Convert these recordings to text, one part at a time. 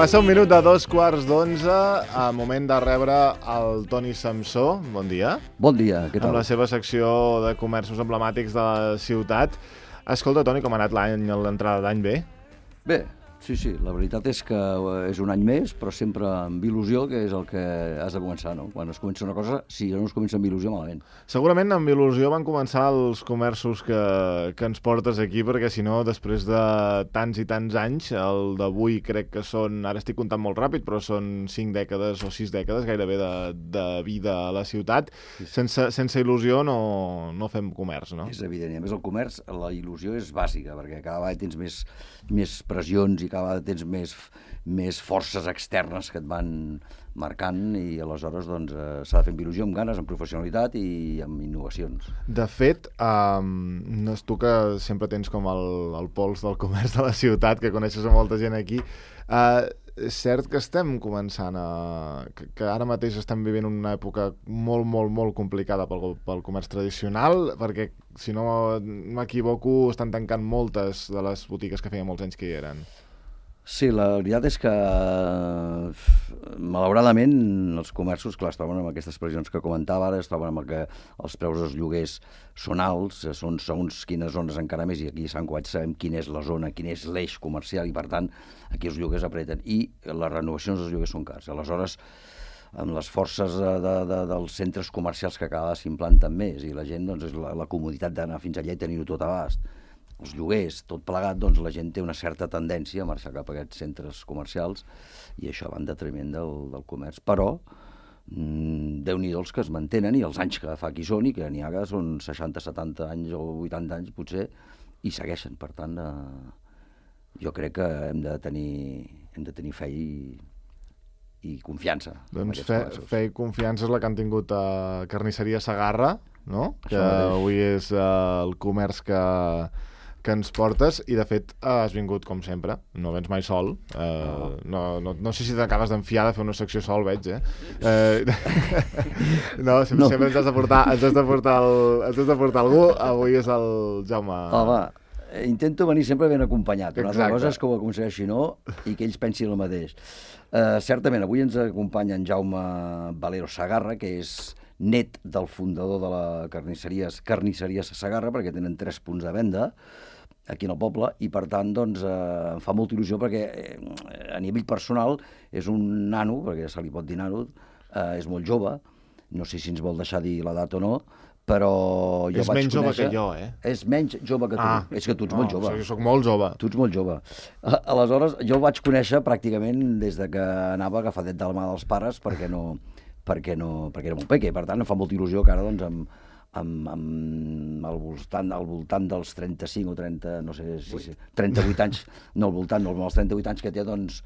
Passa un minut de 2:15, a moment de rebre el Toni Samsó. Bon dia. Bon dia, què tal? Amb la seva secció de comerços emblemàtics de la ciutat. Escolta, Toni, com ha anat l'entrada d'any bé? Bé, sí, la veritat és que és un any més, però sempre amb il·lusió, que és el que has de començar, no? Quan es comença una cosa, si no es comença amb il·lusió, malament. Segurament amb il·lusió van començar els comerços que ens portes aquí, perquè si no, després de tants i tants anys, el d'avui crec que són, ara estic comptant molt ràpid, però són 5 dècades o 6 dècades gairebé de vida a la ciutat. Sí. Sense il·lusió no fem comerç, no? És evident, a més el comerç, la il·lusió és bàsica, perquè cada vegada tens més pressions i cada vegada tens més forces externes que et van marcant i aleshores doncs, s'ha de fer amb il·lusió, amb ganes, amb professionalitat i amb innovacions. De fet, no és tu que sempre tens com el pols del comerç de la ciutat, que coneixes a molta gent aquí, és cert que estem començant que ara mateix estem vivint una època molt complicada pel comerç tradicional, perquè, si no m'equivoco, estan tancant moltes de les botigues que feia molts anys que hi eren. Sí, la veritat és que, malauradament, els comerços, clar, es troben amb aquestes pressions que comentava ara, es troben amb que els preus dels lloguers són alts, són segons quines zones encara més, i aquí a Sant Cugat sabem quina és la zona, quin és l'eix comercial, i per tant, aquí els lloguers apreten, i les renovacions dels lloguers són cars. Aleshores, amb les forces dels centres comercials que cada vegada s'implanten més, i la gent, doncs, és la comoditat d'anar fins allà i tenir-ho tot a abast. Els lloguers, tot plegat, doncs la gent té una certa tendència a marxar cap a aquests centres comercials i això va en detriment del comerç. Però, Déu-n'hi-do els que es mantenen i els anys que fa que hi són, i que n'hi ha que són 60, 70 anys o 80 anys potser, i segueixen. Per tant, jo crec que hem de tenir fe i confiança. Doncs fe i confiança és la que han tingut a Carnisseria Segarra, no? Que avui és el comerç que ens portes, i de fet has vingut com sempre, no vens mai sol, no sé si t'acabes d'enfiar de fer una secció sol, veig, sempre ens has de portar algú. Avui és el Jaume. Home, intento venir sempre ben acompanyat, una altra cosa és que ho aconsegueixi no, i que ells pensin el mateix. Certament, avui ens acompanya en Jaume Valero Segarra, que és net del fundador de la Carnisseria Segarra, perquè tenen 3 punts de venda aquí en el poble, i per tant doncs, em fa molta il·lusió perquè a nivell personal és un nano, perquè se li pot dir nano, és molt jove, no sé si ens vol deixar dir l'edat o no, però jo és vaig menys jove que jo, És menys jove que tu. És que tu ets molt jove. Jo soc molt jove. Tu ets molt jove. Aleshores, jo el vaig conèixer pràcticament des de que anava agafadet de la mà dels pares perquè era molt peque. Per tant, em fa molta il·lusió que ara, doncs, al voltant dels 35 o 30, no sé si 38 anys, no al voltant, no, als 38 anys que té, doncs,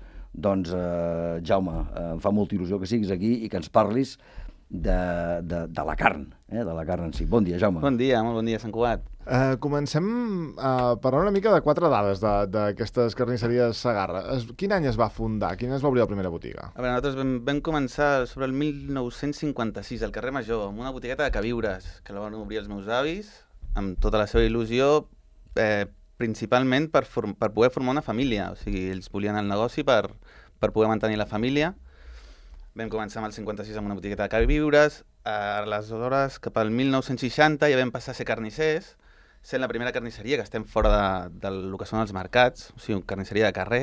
Jaume, em fa molta il·lusió que siguis aquí i que ens parlis de la carn, de la carn en si. Bon dia, Jaume. Bon dia, molt bon dia, Sant Cugat. Comencem a parlar una mica de 4 dades d'aquestes carnisseries Segarra. Quin any es va fundar? Quin any es va obrir la primera botiga? A veure, nosaltres vam començar sobre el 1956 al carrer Major, amb una botigueta de queviures, que la van obrir els meus avis, amb tota la seva il·lusió, principalment per poder formar una família. O sigui, ells volien el negoci per poder mantenir la família. Vam començar amb el 56 amb una botigueta de queviures, aleshores cap al 1960 ja vam passar a ser carnissers, sent la primera carnisseria que estem fora del que són els mercats, o sigui, carnisseria de carrer.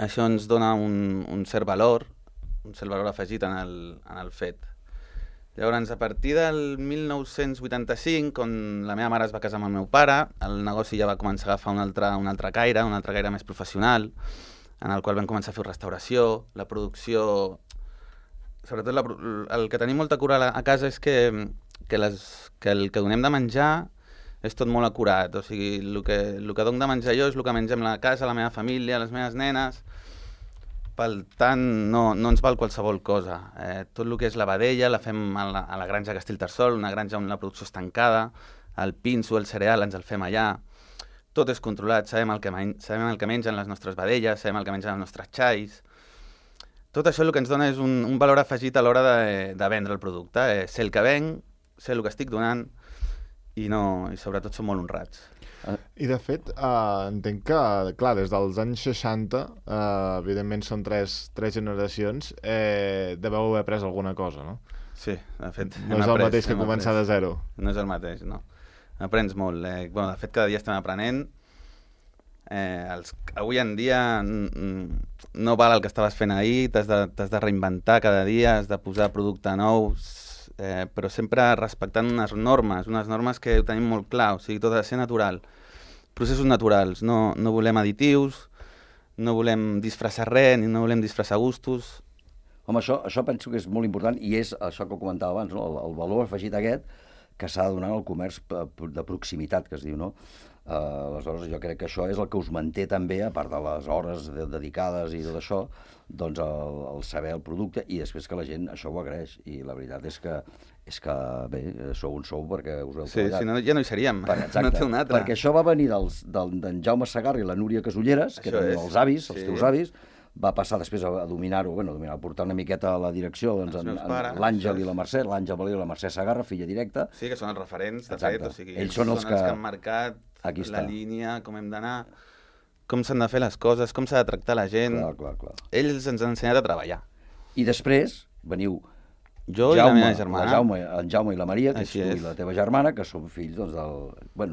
Això ens dona un cert valor afegit en el fet. Llavors, a partir del 1985, quan la meva mare es va casar amb el meu pare, el negoci ja va començar a agafar un altre caire més professional, en el qual vam començar a fer restauració, la producció. Sobretot el que tenim molta cura a casa és que el que donem de menjar és tot molt acurat. O sigui, el que dono de menjar jo és el que mengem a la casa, la meva família, les meves nenes. Per tant, no ens val qualsevol cosa. Tot el que és la vedella la fem a la granja Castellterçol, una granja on la producció és tancada, el pinso, el cereal, ens el fem allà. Tot és controlat, sabem el que mengen les nostres vedelles, sabem el que mengen els nostres xais. Tot això el que ens dona és un valor afegit a l'hora de vendre el producte. Sé el que venc, sé el que estic donant i sobretot som molt honrats. I de fet, entenc que, clar, des dels anys 60, evidentment són tres generacions, deveu haver après alguna cosa, no? Sí, de fet... No és el mateix que començar de zero. No és el mateix, no. Aprens molt. De fet, cada dia estem aprenent. Avui en dia no val el que estaves fent ahir, t'has de reinventar cada dia, has de posar producte nou, però sempre respectant unes normes que ho tenim molt clar, o sigui, tot ha de ser natural. Processos naturals, no volem additius, no volem disfressar res, ni no volem disfressar gustos. Home, això penso que és molt important i és això que comentava abans, no? El valor afegit aquest que s'ha de donar al comerç de proximitat, que es diu, no? Aleshores, jo crec que això és el que us manté també, a part de les hores dedicades i tot això, doncs el saber el producte i després que la gent això ho agraeix. I la veritat és que bé, sou on sou perquè us heu treballat. Sí, si no, ja no hi seríem. Exacte, no té un altre. Perquè això va venir d'en Jaume Segarra i la Núria Casulleres, que eren els avis, els teus avis, va passar després a dominar-ho, a portar una miqueta a la direcció, doncs, l'Àngel i la Mercè, l'Àngel Valero i la Mercè Segarra, filla directa. Sí, que són els referents, de fet, o sigui, ells són els que han marcat la línia, com hem d'anar, com s'han de fer les coses, com s'ha de tractar la gent. Clar. Ells ens han ensenyat a treballar. I després veniu jo i la meva germana. En Jaume i la Maria, que ets tu i la teva germana, que són fills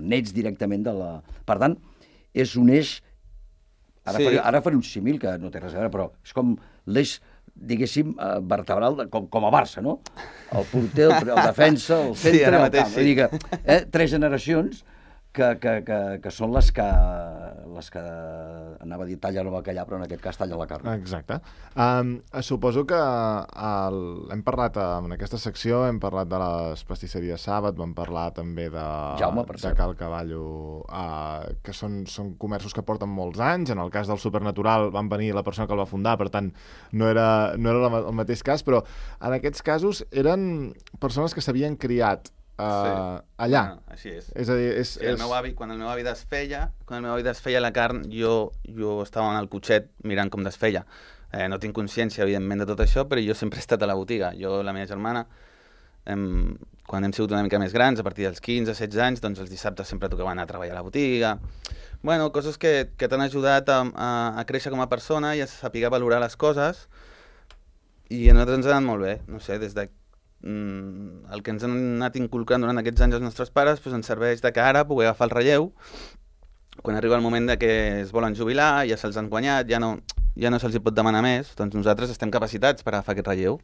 nets directament de la... Per tant, és un eix... Ara faré un símil que no té res a veure, però és com l'eix, diguéssim, vertebral, com a Barça, no? El porter, el defensa, el centre, el camp. Vull dir que 3 generacions que són les que anava a dir tallen el bacallà, però en aquest cas tallen la carn. Exacte. Suposo que hem parlat en aquesta secció, hem parlat de les pastisseries Sàbat, vam parlar també de Cal Cavallo, que són comerços que porten molts anys. En el cas del Supernatural van venir la persona que el va fundar, per tant no era el mateix cas, però en aquests casos eren persones que s'havien criat allà. Així és. És a dir, quan el meu avi desfeia la carn, jo estava en el cotxet mirant com desfeia. No tinc consciència, evidentment, de tot això, però jo sempre he estat a la botiga. Jo, la meva germana, quan hem sigut una mica més grans, a partir dels 15-16 anys, doncs els dissabtes sempre tocaven anar a treballar a la botiga. Bueno, coses que t'han ajudat a créixer com a persona i a saber valorar les coses, i a nosaltres ens ha anat molt bé. No sé, des de el que ens han anat inculcant durant aquests anys els nostres pares ens serveix de cara a poder agafar el relleu quan arriba el moment de que es volen jubilar, ja se'ls han guanyat, ja no se'ls hi pot demanar més, doncs nosaltres estem capacitats per agafar aquest relleu.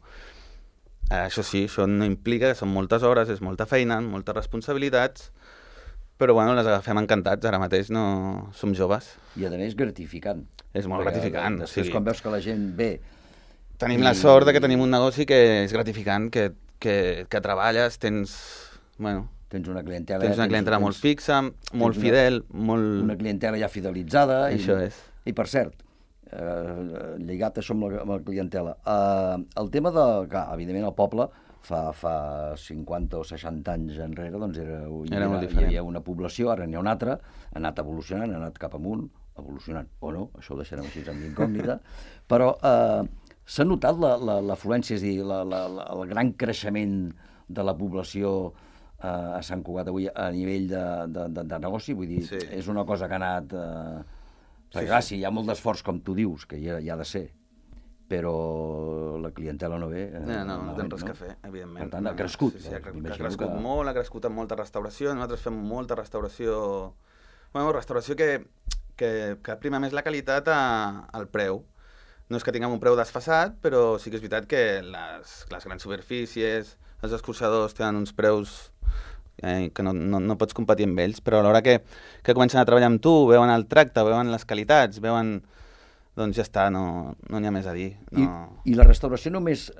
Això sí, això no implica que són moltes hores, és molta feina, moltes responsabilitats, però bueno, les agafem encantats, ara mateix no som joves. I a més gratificant. És molt gratificant. Després quan veus que la gent ve... Tenim la sort que tenim un negoci que és gratificant, que treballes, tens una clientela molt fixa, molt fidel, una clientela ja fidelitzada. Això és. I per cert, lligat això amb la clientela, el tema de, clar, evidentment el poble fa 50 o 60 anys enrere doncs hi havia una població, ara n'hi ha una altra, ha anat evolucionant, ha anat cap amunt, evolucionant o no, això ho deixarem així amb incògnita, però s'ha notat l'afluència, és a dir, el gran creixement de la població a Sant Cugat avui a nivell de negoci, vull dir, és una cosa que ha anat... Perquè clar, sí, hi ha molt d'esforç, com tu dius, que hi ha de ser, però la clientela no ve... No tens res que fer, evidentment. Per tant, ha crescut. Sí, ha crescut molt, ha crescut amb molta restauració, nosaltres fem molta restauració... Bueno, restauració que prima més la qualitat al preu. No és que tinguem un preu desfasat, però sí que és veritat que les grans superfícies, els escorxadors tenen uns preus que no pots competir amb ells, però a l'hora que comencen a treballar amb tu, veuen el tracte, veuen les qualitats, veuen... Doncs ja està, no n'hi ha més a dir. I la restauració només,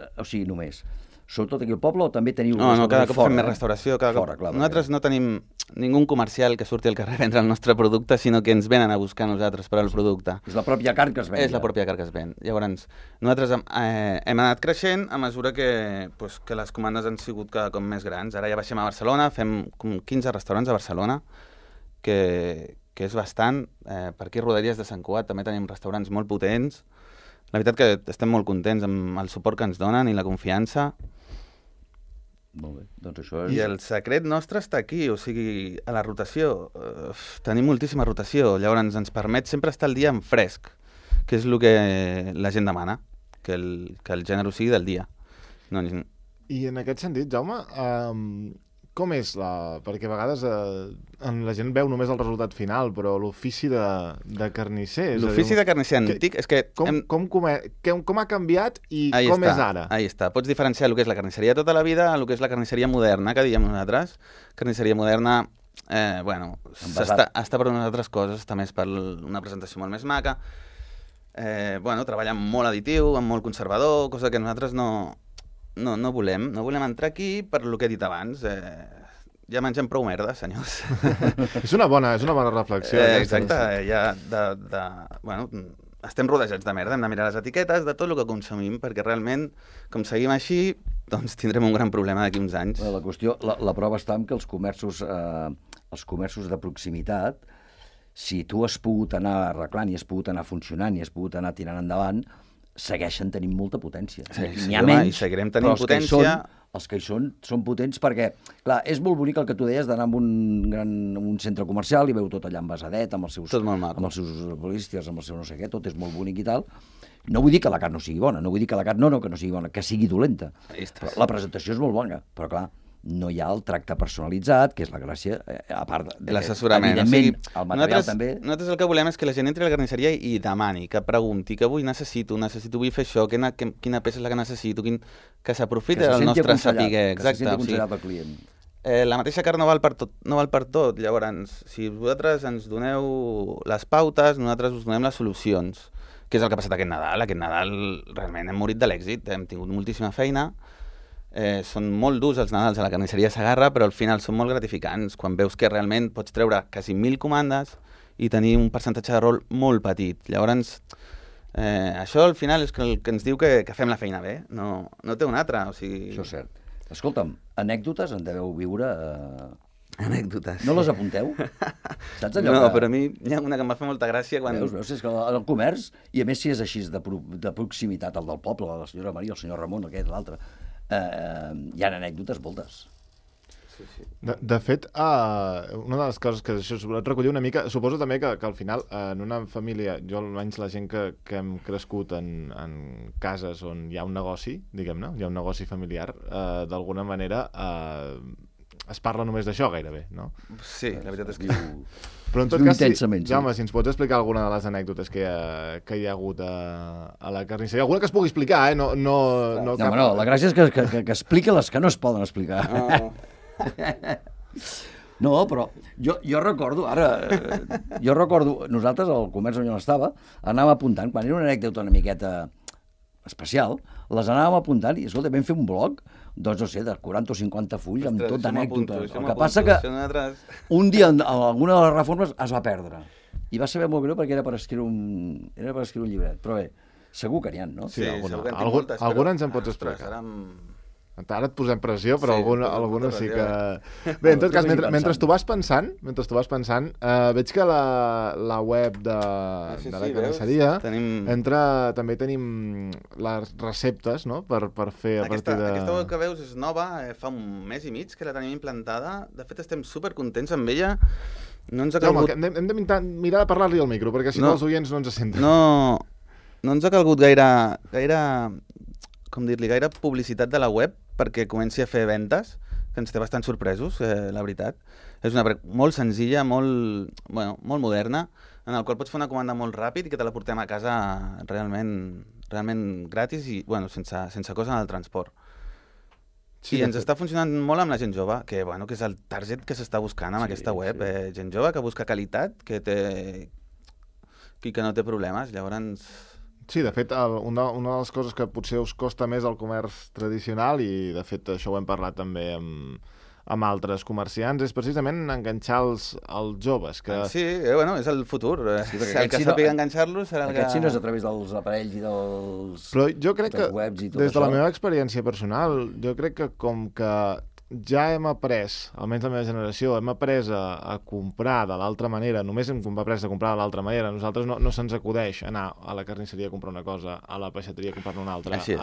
sobretot aquí al poble, o també teniu... No, cada cop fem més restauració. Nosaltres no tenim ningú comercial que surti al carrer a vendre el nostre producte, sinó que ens venen a buscar nosaltres per al producte. És la pròpia carn que es ven. És la pròpia carn que es ven. Llavors, nosaltres hem anat creixent a mesura que les comandes han sigut cada cop més grans. Ara ja baixem a Barcelona, fem com 15 restaurants a Barcelona, que és bastant. Per aquí a Rodalies de Sant Cugat també tenim restaurants molt potents. La veritat que estem molt contents amb el suport que ens donen i la confiança. Molt bé, doncs això és... I el secret nostre està aquí, o sigui, a la rotació. Tenim moltíssima rotació, llavors ens permet sempre estar al dia en fresc, que és el que la gent demana, que el gènere sigui del dia. No, I en aquest sentit, Jaume, com és perquè a vegades la gent veu només el resultat final, però l'ofici de carnisser... L'ofici de carnisser antic és que... Com ha canviat i com és ara? Ahí està. Pots diferenciar el que és la carnisseria tota la vida el que és la carnisseria moderna, que diem nosaltres. Carnisseria moderna, està per unes altres coses, està més per una presentació molt més maca. Treballa amb molt additiu, amb molt conservador, cosa que nosaltres no volem entrar aquí per lo que he dit abans. Ja mengem prou merda, senyors. És una bona reflexió. Exacte, estem rodejats de merda, hem de mirar les etiquetes de tot el que consumim, perquè realment, com seguim així, doncs tindrem un gran problema d'aquí uns anys. La qüestió, la prova està en que els comerços de proximitat, si tu has pogut anar arreglant i has pogut anar funcionant i has pogut anar tirant endavant, segueixen tenint molta potència. N'hi ha menys, i seguirem tenint potència. Els que hi són potents perquè, clar, és molt bonic el que tu deies d'anar a un centre comercial i veu tot allà envasadet, amb els seus polísters, amb el seu no sé què, tot és molt bonic i tal. No vull dir que la carn no sigui bona, no vull dir que la carn no sigui bona, que sigui dolenta. Però la presentació és molt bona, però clar, no hi ha el tracte personalitzat, que és la gràcia, a part de l'assessorament. Evidentment, el material també... Nosaltres el que volem és que la gent entri a la carnisseria i demani, que pregunti, que avui necessito, vull fer això, quina peça és la que necessito, que s'aprofiti del nostre saber. Que se senti aconsellat al client. La mateixa carn no val per tot. Llavors, si vosaltres ens doneu les pautes, nosaltres us donem les solucions, que és el que ha passat aquest Nadal. Aquest Nadal realment hem morit de l'èxit, hem tingut moltíssima feina. Són molt durs els Nadals a la carnisseria Segarra, però al final són molt gratificants quan veus que realment pots treure quasi 1.000 comandes i tenir un percentatge de rol molt petit. Llavors, això al final és el que ens diu que fem la feina bé, no té una altra. O sigui... Això és cert. Escolta'm, anècdotes en deveu viure... Anècdotes. No les apunteu? Saps allò no, però a mi hi ha una que em va fer molta gràcia quan... Veus, és que el comerç, i a més si és així de proximitat, el del poble, la senyora Maria, el senyor Ramon, aquest, l'altre, hi ha anècdotes moltes. Sí. De fet, una de les coses que això es recollir una mica, suposo també que al final en una família, jo almenys la gent que hem crescut en cases on hi ha un negoci, diguem-ne, hi ha un negoci familiar, d'alguna manera es parla només d'això gairebé, no? Sí, la veritat és que... Però en tot cas, Jaume, si ens pots explicar alguna de les anècdotes que hi ha hagut a la carnisseria, alguna que es pugui explicar, No, la gràcia és que expliqui les que no es poden explicar. No, però jo recordo, nosaltres al comerç on jo estava, anàvem apuntant, quan era una anècdota una miqueta especial, les anàvem apuntant i, escolta, vam fer un blog, doncs no sé, de 40 o 50 fulls amb tot d'anècdotes. El que passa que un dia alguna de les reformes es va perdre. I va saber molt greu perquè era per escriure un llibret. Però bé, segur que n'hi ha, no? Sí, alguna ens en pots explicar. Ara et posem pressió, però alguna sí que... Bé, en tot cas, mentre tu vas pensant, veig que la web de la carnisseria també tenim les receptes, no?, per fer a partir de... Aquesta web que veus és nova, fa un mes i mig que la tenim implantada. De fet, estem supercontents amb ella. No ens ha calgut... Hem de mirar de parlar-li al micro, perquè si no els oients no ens senten. No ens ha calgut gaire publicitat de la web perquè comenci a fer ventes, que ens té bastant sorpresos, la veritat. És una molt senzilla, molt moderna, en el qual pots fer una comanda molt ràpid i que te la portem a casa realment gratis i sense cost en el transport. Sí, i ens està funcionant molt amb la gent jove, que és el target que s'està buscant amb aquesta web. Gent jove que busca qualitat, que no té problemes, llavors... Sí, de fet, una de les coses que potser us costa més al comerç tradicional, i de fet això ho hem parlat també amb altres comerciants, és precisament enganxar els joves. Que... Sí, és el futur. Sí, el que sàpiga enganxar-los serà el que... Aquest sí no és a través dels aparells i dels... Però jo crec que, des de la meva experiència personal, jo crec que com que ja hem après, almenys la meva generació, hem après a comprar de l'altra manera, només hem après a comprar de l'altra manera, a nosaltres no se'ns acudeix anar a la carnisseria a comprar una cosa, a la peixateria a comprar-ne una altra. Així és.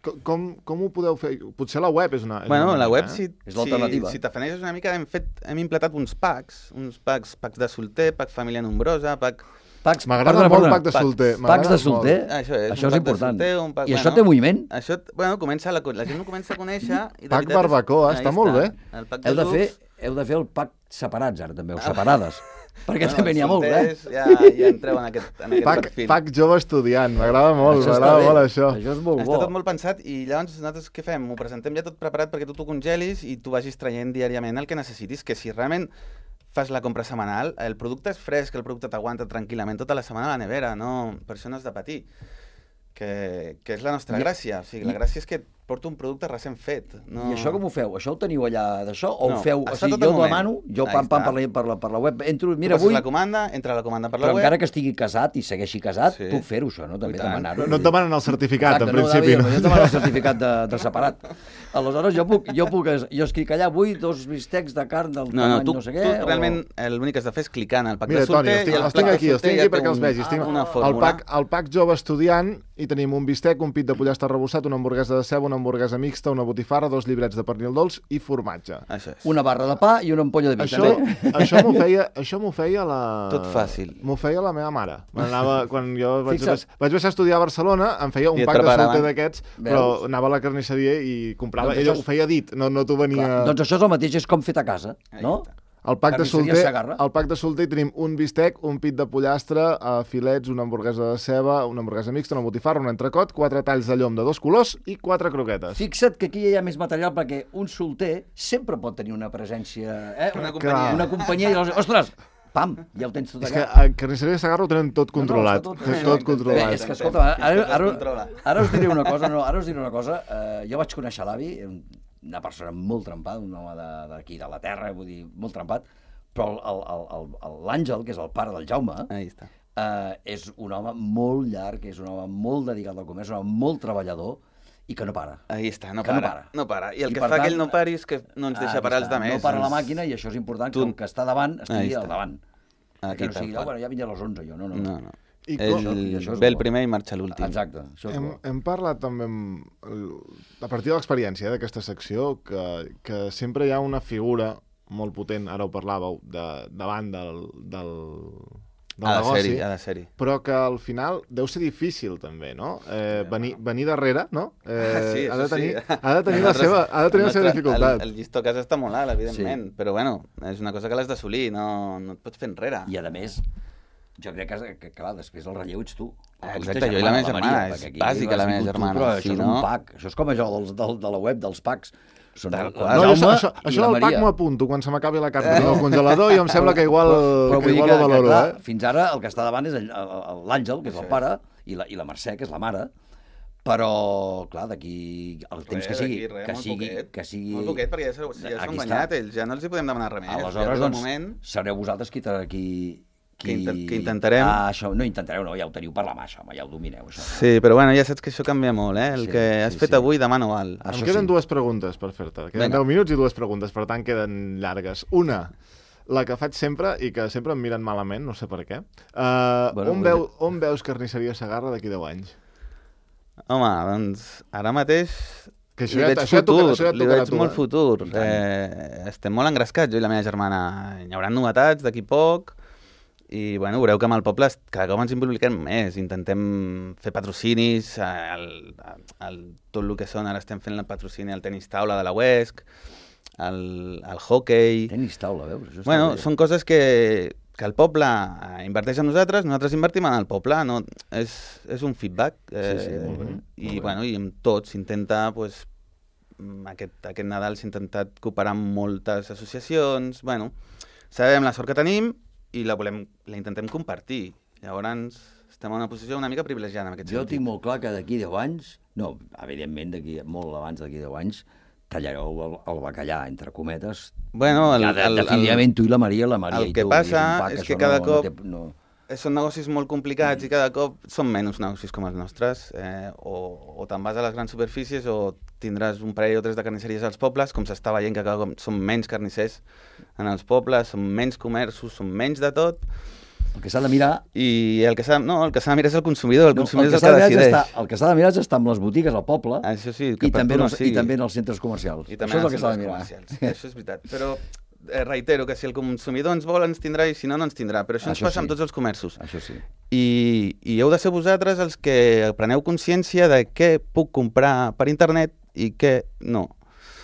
Com ho podeu fer? Potser la web és una... Bueno, la web, És l'alternativa. si t'afaneixes una mica, hem implantat uns packs de solter, pack família nombrosa, pack... M'agrada molt el pack de solter. Packs de solter, Això és això és important. Solter, I això té moviment? Això, bueno, la gent ho comença a conèixer... Pack barbacoa, està molt bé. Heu de fer el pack separats, ara, també, o separades. Perquè també n'hi ha molt, Ja entreu en aquest perfil. Pack jove estudiant, m'agrada molt, això. Això és molt bo. Està tot molt pensat i llavors nosaltres què fem? Ho presentem ja tot preparat perquè tu t'ho congelis i tu vagis traient diàriament el que necessitis, que si realment fas la compra setmanal, el producte és fresc, el producte t'aguanta tranquil·lament tota la setmana a la nevera, no, per això no has de patir. Que és la nostra gràcia. O sigui, la gràcia és que porto un producte recent fet. No... I això com ho feu? Això ho teniu allà d'això? O ho feu? O està sigui, tot al jo moment. demano, jo per la web, entro, mira, Passes avui... la comanda, entra la comanda per la Però web... encara que estigui casat i segueixi casat, Sí. puc fer-ho, això, no? També I tant. demanar-ho. No et demanen el certificat, en Exacte, principi. No, jo et demano el certificat de separat. Aleshores, jo escric allà, vull 2 bistecs de carn del tamany tu no sé què... realment l'únic que has de fer és clicar en el pack Mira, de solter... Toni, els tinc aquí perquè els vegis. Tinc una fórmula. el pack jove estudiant i tenim un bistec, un pit de pollastre arrebossat, una hamburguesa de ceba, una hamburguesa mixta, una botifarra, 2 llibrets de pernil dolç i formatge. Això és. Una barra de pa i una ampolla de vi, també. Això m'ho feia la... Tot fàcil. M'ho feia la meva mare. Quan jo vaig Fixa't. baixar a estudiar a Barcelona, em feia un I et pack de preparaven. solter d'aquests, però anava a la carnisseria i comprava. Doncs Ella això ho feia dit, no t'ho venia... Clar, doncs això és el mateix, és com fet a casa, no? El pack Carnisseria Segarra. de solter tenim un bistec, un pit de pollastre, filets, una hamburguesa de ceba, una hamburguesa mixta, una botifarra, un entrecot, 4 talls de llom de 2 colors i 4 croquetes. Fixa't que aquí hi ha més material perquè un solter sempre pot tenir una presència... Una companyia. Una companyia i llavors, ostres, pam, ja ho tens tot És que allà. a Carnisseria Segarra ho tenen tot controlat. No, tot controlat. Bé, és que, escolta, controla. ara us diré una cosa, jo vaig conèixer l'avi, una persona molt trempada, un home d'aquí de la terra, vull dir, molt trempat, però l'Àngel, que és el pare del Jaume, Ahí està. és un home molt llarg, és un home molt dedicat al comerç, un home molt treballador i que no para. Ahí està, no Que no para. para. No para. I el I que per fa tant, que ell no pari és que no ens deixa Aquí parar els està, demés. No para la màquina i això és important, que el que està davant estigui Ahí al està. davant. Aquí, Que no sigui, tal qual. bueno, ja vindrà a les 11 jo, no. No. I Ell això és ve el bo. primer i marxa l'últim. Exacte, això és bo. Hem parlat també, a partir de l'experiència d'aquesta secció, que sempre hi ha una figura molt potent, ara ho parlàveu, davant del negoci, Ha de ser-hi. però que al final deu ser difícil també, no? Venir darrere, no? Sí, ha de això tenir, sí. ha de tenir la seva dificultat. El llistó a casa està molt alt, evidentment, però bueno, és una cosa que l'has d'assolir, no et pots fer enrere. I a més, jo crec que clar, després el relleu ets tu. Exacte, jo i la meva germana, és bàsica la meva germana. Però si això és no... un pack, això és com això de la web dels packs. Són Tal el qual. No, Jaume això i del la pack Maria. m'ho apunto quan se m'acabi la carn del congelador i em sembla que igual, Però vull dir ho valoro, clar, fins ara el que està davant és l'Àngel, que és el pare, i la Mercè, que és la mare, però, clar, d'aquí el temps que sigui... Molt poquet, perquè ja s'ho han guanyat ells, ja no els hi podem demanar res més. Aleshores, Ja, doncs, sereu vosaltres qui que intentarem... això, no intentareu, no, ja ho teniu per la mà, això, ja ho domineu, això. Sí, però bueno, ja saps que això canvia molt, eh? El Sí, que has fet avui, demà no val. Em queden 2 preguntes per fer-te. Queden 10 minuts i 2 preguntes, per tant queden llargues. Una, la que faig sempre i que sempre em miren malament, no sé per què. On veus Carnisseria Segarra d'aquí 10 anys? Home, doncs ara mateix Que li veig li veig molt futur. Estem molt engrescats, jo i la meva germana. Hi haurà novetats d'aquí poc i bueno, veureu que amb el poble cada cop ens impliquem més. Intentem fer patrocinis, tot el que són, ara estem fent el patrocini al tenis taula de la UESC, el hockey... Tenis taula, veus? Això està Bueno, bé. són coses que el poble inverteix en nosaltres invertim en el poble, no? És un feedback. Molt bé. I, bueno, i amb tots s'intenta, pues, aquest Nadal s'ha intentat cooperar amb moltes associacions, bueno, sabem la sort que tenim i la intentem compartir. Llavors estem en una posició una mica privilegiada en aquest Jo sentit. tinc molt clar que d'aquí 10 anys, no, evidentment, molt abans d'aquí 10 anys, tallareu el bacallà, entre cometes. Bueno, definitivament tu i la Maria el i que tu. passa un pack, és que això cada cop no. són negocis molt complicats i cada cop són menys negocis com els nostres. O te'n vas a les grans superfícies o tindràs un parell o 3 de carnisseries als pobles, com s'està veient que cada cop són menys carnissers en els pobles, són menys comerços, són menys de tot. El que s'ha de mirar... I el que s'ha de mirar és el consumidor, el consumidor és el s'ha de que mirar decideix. el que s'ha de mirar és estar amb les botigues al poble Això sí, i també en els centres comercials. I també Això és en el els que s'ha de centres mirar. comercials. Això és veritat. Però reitero que si el consumidor ens vol ens tindrà i si no, no ens tindrà. Però això ens passa amb tots els comerços. Això sí. I heu de ser vosaltres els que preneu consciència de què puc comprar per internet i què no.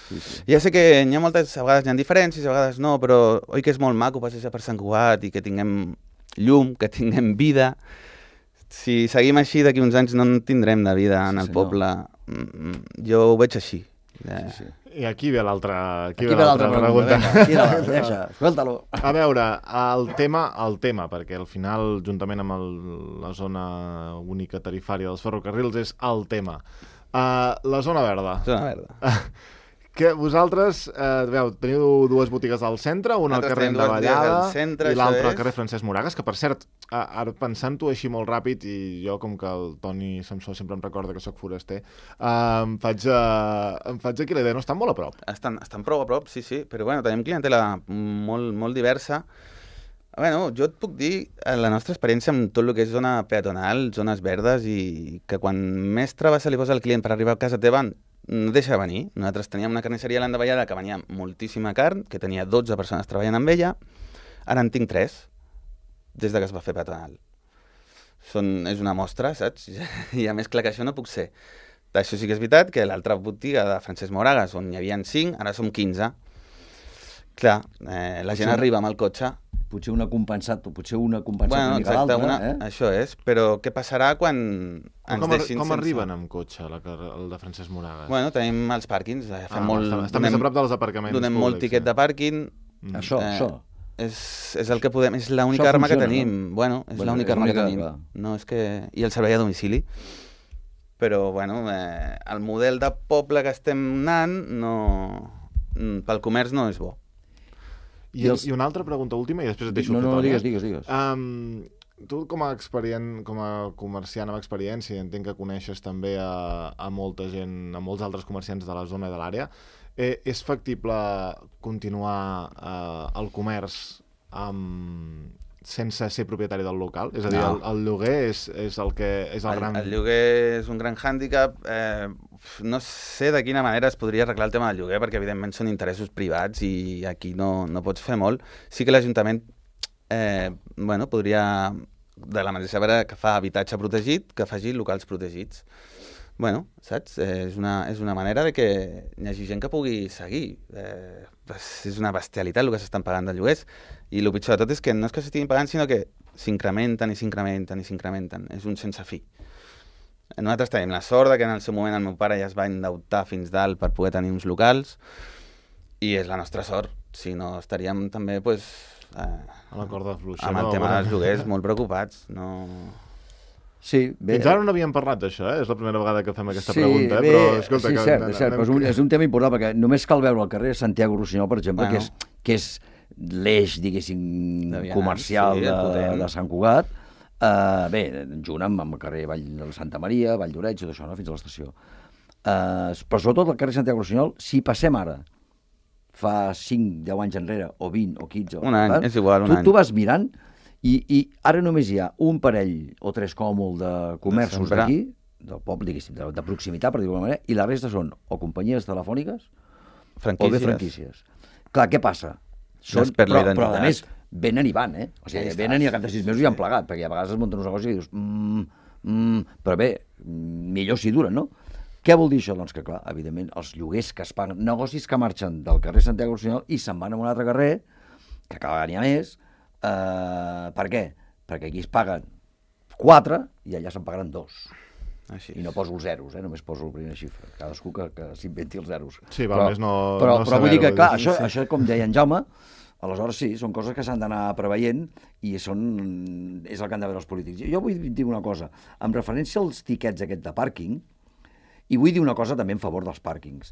Sí, sí. Ja sé que a vegades hi ha diferències, a vegades no, però oi que és molt maco passejar per Sant Cugat i que tinguem llum, que tinguem vida. Si seguim així, d'aquí uns anys no en tindrem de vida en el poble. Jo ho veig així. Sí. I aquí ve l'altra pregunta. Vinga, deixa, escolta-lo. A veure, el tema, perquè al final, juntament amb la zona única tarifària dels ferrocarrils, és el tema. La zona verda. Zona verda. Que vosaltres, teniu dues botigues al centre, una al carrer de Vallada i l'altra al carrer Francesc Moragas, que per cert, ara pensant-ho així molt ràpid, i jo com que el Toni Samsó sempre em recorda que sóc foraster, em faig aquí la idea, no estan molt a prop? Estan prou a prop, sí, però bueno, tenim clientela molt diversa. Bueno, jo et puc dir la nostra experiència amb tot el que és zona peatonal, zones verdes, i que quan més trava se li posa al client per arribar a casa teva, no deixa de venir. Nosaltres teníem una carnisseria a l'Andavallada que venia moltíssima carn, que tenia 12 persones treballant amb ella, ara en tinc 3, des de que es va fer peatonal. És una mostra, saps? I a més clar que això no puc ser. Això sí que és veritat, que l'altra botiga de Francesc Moragas, on hi havia 5, ara som 15. Clar, la gent arriba amb el cotxe. Potser una compensat Bueno, una mica l'altra, això és, però què passarà quan ens deixin com arriben amb cotxe el de Francesc Moragas? Bueno, tenim els pàrquings, està més a prop dels aparcaments donem públics, molt tiquet de pàrquing. Això. És el que podem, és l'única arma que tenim. No? Bueno, és l'única arma que tenim. No, és que... I el servei a domicili. Però, bueno, el model de poble que estem anant pel comerç no és bo. I una altra pregunta última i després et deixo No, digues. Tu com a comerciant amb experiència, entenc que coneixes també a molta gent, a molts altres comerciants de la zona i de l'àrea, és factible continuar el comerç sense ser propietari del local? És a dir, el lloguer és el gran... El lloguer és un gran hàndicap. No sé de quina manera es podria arreglar el tema del lloguer, perquè evidentment són interessos privats i aquí no pots fer molt. Sí que l'Ajuntament podria, de la mateixa manera que fa habitatge protegit, que faci locals protegits. Bueno, saps? És una manera de que hi hagi gent que pugui seguir. És una bestialitat el que s'estan pagant de lloguers, i el pitjor de tot és que no és que s'estiguin pagant, sinó que s'incrementen i s'incrementen i s'incrementen. És un sense fi. Nosaltres tenim la sort que en el seu moment el meu pare ja es va endeutar fins dalt per poder tenir uns locals, i és la nostra sort. Si no, estaríem també a la corda fluixa, amb el tema dels lloguers molt preocupats. Sí, bé. Fins ara no havíem parlat d'això, és la primera vegada que fem aquesta pregunta, però escolta... Sí, cert, però és un tema important, perquè només cal veure el carrer Santiago Rossinyol, per exemple, que és l'eix, diguéssim, comercial de Sant Cugat. Bé, junt amb el carrer Vall de Santa Maria, Vall d'Oreig, tot això, fins a l'estació. Però sobretot el carrer Santiago Rossinyol, si passem ara, fa 5, 10 anys enrere, o 20, o 15... Un any, és igual, un any. Tu vas mirant i ara només hi ha un parell o 3 com a molt de comerços d'aquí, del poble, diguéssim, de proximitat, per dir-ho d'alguna manera, i la resta són o companyies telefòniques o bé franquícies. Clar, què passa? Però a més, venen i van, O sigui, venen i al cap de 6 mesos ja han plegat, perquè a vegades es munten uns negocis i dius... Però bé, millor si duren, no? Què vol dir això? Doncs que, clar, evidentment, els lloguers que es paguen, negocis que marxen del carrer Santiago Rossinyol i se'n van a un altre carrer, que cada vegada n'hi ha més. Per què? Perquè aquí es paguen 4 i allà se'n pagaran 2. Així. I no poso els zeros, només poso la primera xifra. Cadascú que s'inventi els zeros. Sí, val, més no però vull dir que, clar, això com deia en Jaume, aleshores sí, són coses que s'han d'anar preveient i és el que han de veure els polítics. Jo vull dir una cosa, amb referència als tiquets aquest de pàrquing, i vull dir una cosa també en favor dels pàrquings.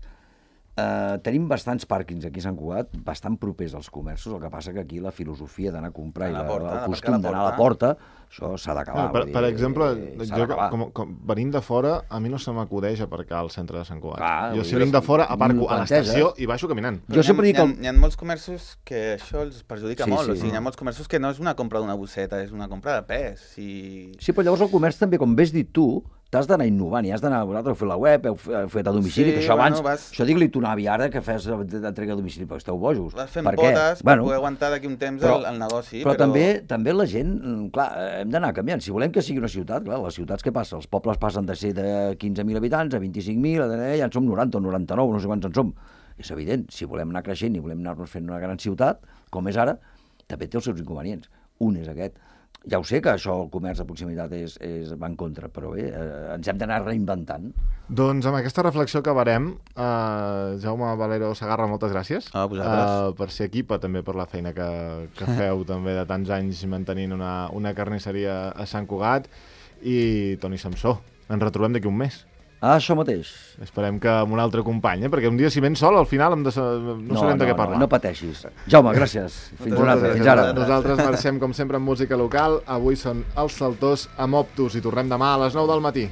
Tenim bastants pàrquings aquí a Sant Cugat, bastant propers als comerços, el que passa que aquí la filosofia d'anar a comprar i el costum d'anar a la porta Això s'ha d'acabar. Per exemple, s'ha d'acabar. com venint de fora, a mi no se m'acudeix aparcar al centre de Sant Cugat. Clar, Jo si vinc de fora, aparco a l'estació i baixo caminant. Jo sempre dic... Hi ha molts comerços que això els perjudica molt. Sí. O sigui, hi ha molts comerços que no és una compra d'una bosseta, és una compra de pes. Sí, però llavors el comerç també, com ves dit tu, t'has d'anar innovant i has d'anar... Vosaltres heu fet la web, heu fet a domicili, que això abans... Això digue-li tu a l'avi ara que fes d'entrega a domicili, perquè esteu bojos. Vas fent potes per poder aguantar d'aquí un temps el negoci. Però també la gent, clar, hem d'anar canviant. Si volem que sigui una ciutat, clar, les ciutats què passa? Els pobles passen de ser de 15.000 habitants a 25.000, ja en som 90 o 99, no sé quants en som. És evident, si volem anar creixent i volem anar-nos fent una gran ciutat, com és ara, també té els seus inconvenients. Un és aquest. Ja ho sé que això, el comerç de proximitat va en contra, però bé, ens hem d'anar reinventant. Doncs amb aquesta reflexió acabarem. Jaume Valero Segarra, moltes gràcies. A vosaltres. Per ser aquí, però també per la feina que feu també de tants anys mantenint una carnisseria a Sant Cugat. I Toni Samsó, ens retrobem d'aquí un mes. Això mateix. Esperem que amb un altre company, perquè un dia si vens sol, al final no sabem de què parlar. No pateixis. Jaume, gràcies. Fins una altra. Fins ara. Nosaltres marxem, com sempre, amb música local. Avui són els Saltors amb Optus i tornem demà a les 9 del matí.